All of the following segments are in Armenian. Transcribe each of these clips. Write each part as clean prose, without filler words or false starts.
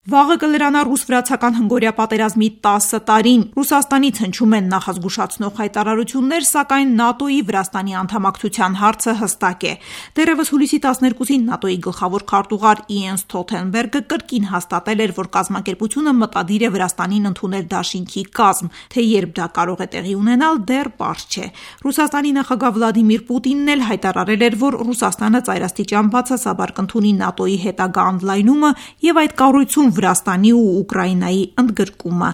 Վաղը կլրանա ռուս-վրացական հնգօրյա պատերազմի 10 տարին։ Ռուսաստանից հնչում են նախազգուշացնող հայտարարություններ, սակայն ՆԱՏՕ-ի Վրաստանի անդամակցության հարցը հստակ է։ Դեռևս հուլիսի 12-ին ՆԱՏՕ-ի գլխավոր քարտուղար Իենս Սթոլթենբերգը կրկին հաստատել էր, որ կազմակերպությունը մտադիր է Վրաստանին ընդունել դաշինքի կազմ, թե երբ դա կարող է տեղի ունենալ, դեռ պարզ չէ։ Ռուսաստանի նախագահ Վլադիմիր Պուտինն էլ հայտարարել էր, որ Ռուսաստանը ծայրաստիճան բացասաբար կընդունի ՆԱՏՕ-ի հետագա ընդլայնումը եւ այդ կառույցում Վրաստանի ու Ուկրաինայի ընդգրկումը։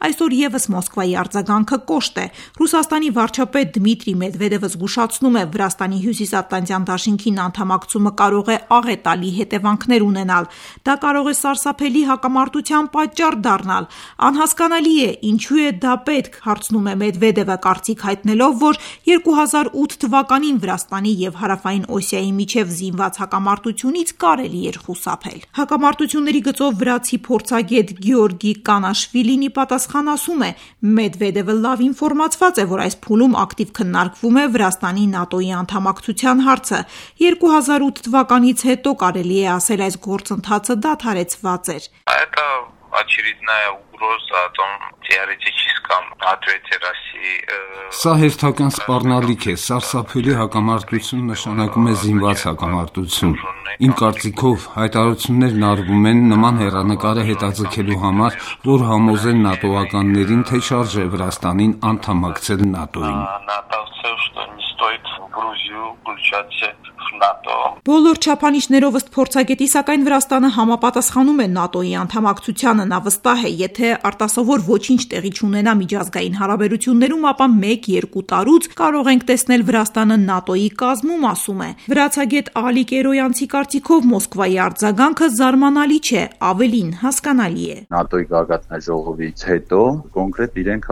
Այսօր եւս Մոսկվայի արձագանքը կոշտ է։ Ռուսաստանի վարչապետ Դմիտրի Մեդվեդևը զգուշացնում է, Վրաստանի հյուսիսատլանտյան դաշինքին անդամակցումը կարող է աղետալի հետևանքներ ունենալ։ Դա կարող է սարսափելի հակամարտության պատճառ դառնալ։ Անհասկանալի է, ինչու է դա պետք, հարցնում է Մեդվեդևը, կարծիք հայտնելով, որ 2008 թվականին Վրաստանի եւ Հարավային Օսիայի միջև զինված հակամարտությունից կարելի էր խուսափել։ Հակամարտությունների գծով վրացի փորձագետ Գեորգի Կանաշվիլին ի պատասխան ասում է. Մեդվեդևը լավ ինֆորմացված է, որ այս փուլում ակտիվ քննարկվում է Վրաստանի ՆԱՏՕ-ի անդամակցության հարցը։ 2008 թվականից հետո կարելի է ասել այս գործընթացը դադարեցված էր։ Очередная угроза о том, теоретическом ответе России. Սա հերթական սպառնալիք է, սարսափելի հակամարտություն նշանակում է զինված հակամարտություն։ Իմ կարծիքով հայտարարություններն արվում են նման հեռանկարը հետաձգելու համար, որ համոզեն ՆԱՏՕ-ականներին, թե շարժ է Վրաստանին անդամակցել ՆԱՏՕ-ին։ Բոլոր չափանիշներով ըստ փորձագետի, սակայն Վրաստանը համապատասխանում է ՆԱՏՕ-ի անդամակցությանը։ Նա վստահ է, եթե արտասովոր ոչինչ տեղի չունենա միջազգային հարաբերություններում, ապա 1-2 տարուց կարող ենք տեսնել Վրաստանը ՆԱՏՕ-ի կազմում, ասում է։ Վրացագետ Ալիկ Էրոյանցի կարծիքով Մոսկվայի արձագանքը զարմանալի չէ, ավելին հասկանալի է։ ՆԱՏՕ-ի գագաթնաժողովից հետո կոնկրետ իրենք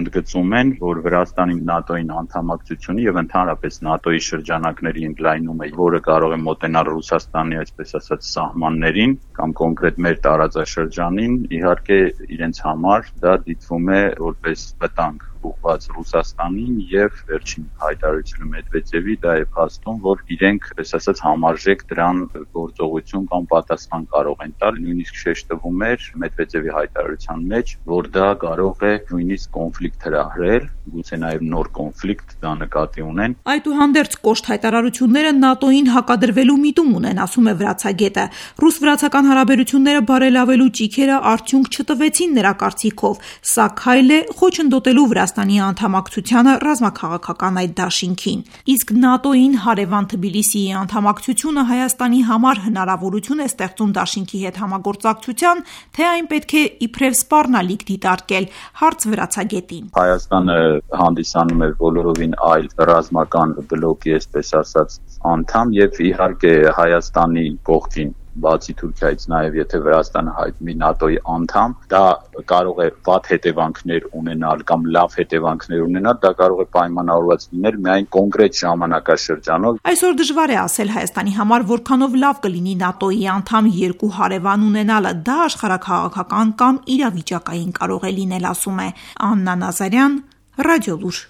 ընդգծում են, որ Վրաստանի ՆԱՏՕ-ին անդամակցությունը եւ ընդհանրապես ՆԱՏՕ-ի շրջանակների ընդլայնումը, որը կարող է մոտենալ Ռուսաստանի, այսպես ասած, սահմաններին կամ կոնկրետ մեր տարածաշրջանին, իհարկե իրենց համար դա դիտվում է որպես վտանգ ուղղված Ռուսաստանին եւ վերջին հայտարարությունը Մեդվեդևի դա է փաստում, որ իրենք, այսպես ասած, համարժեք դրան գործողություն կամ պատասխան կարող են տալ, նույնիսկ շեշտվում էր Մեդվեդևի հայտարարության մեջ, որ դա կարող է նույնիսկ կոնֆլիկտ հրահրել, գուցե նաեւ նոր կոնֆլիկտ դա նկատի ունեն։ Այդուհանդերձ կոշտ հայտարարությունները ՆԱՏՕ-ին հակադրվելու միտում ունեն, ասում է վրացագետը։ Ռուս-վրացական հարաբերությունները բարելավելու ճիգերը արդյունք չտվեցին նրա կարծիքով։ Սա քայլ է խոչընդոտելու Վրաստանի անդամակցությանը ռազմաքաղաքական այդ դաշինքին։ Իսկ ՆԱՏՕ-ին հարևան Թբիլիսիի անդամակցությունը Հայաստանի համար հնարավորություն է ստեղծում դաշինքի հետ համագործակցության, թե այն պետք է իբրև սպառնալիք դիտարկել, հարց վրացագետին։ Հայաստանը հանդիսանում է բոլորովին այլ ռազմական բլոկի, այսպես ասած, անդամ եւ իհարկե Հայաստանի կողքին բացի Թուրքիայից նաև եթե Վրաստանը հայտնվի ՆԱՏՕ-ի անդամ, դա կարող է վատ հետևանքներ ունենալ կամ լավ հետևանքներ ունենալ, դա կարող է պայմանավորված լինել միայն կոնկրետ ժամանակաշրջանով։ Այսօր դժվար է ասել Հայաստանի համար որքանով լավ կլինի ՆԱՏՕ-ի անդամ երկու հարևան ունենալը, դա աշխարհաքաղաքական կամ իրավիճակային կարող է լինել, ասում է Աննա Նազարյան, Ռադիոլուր։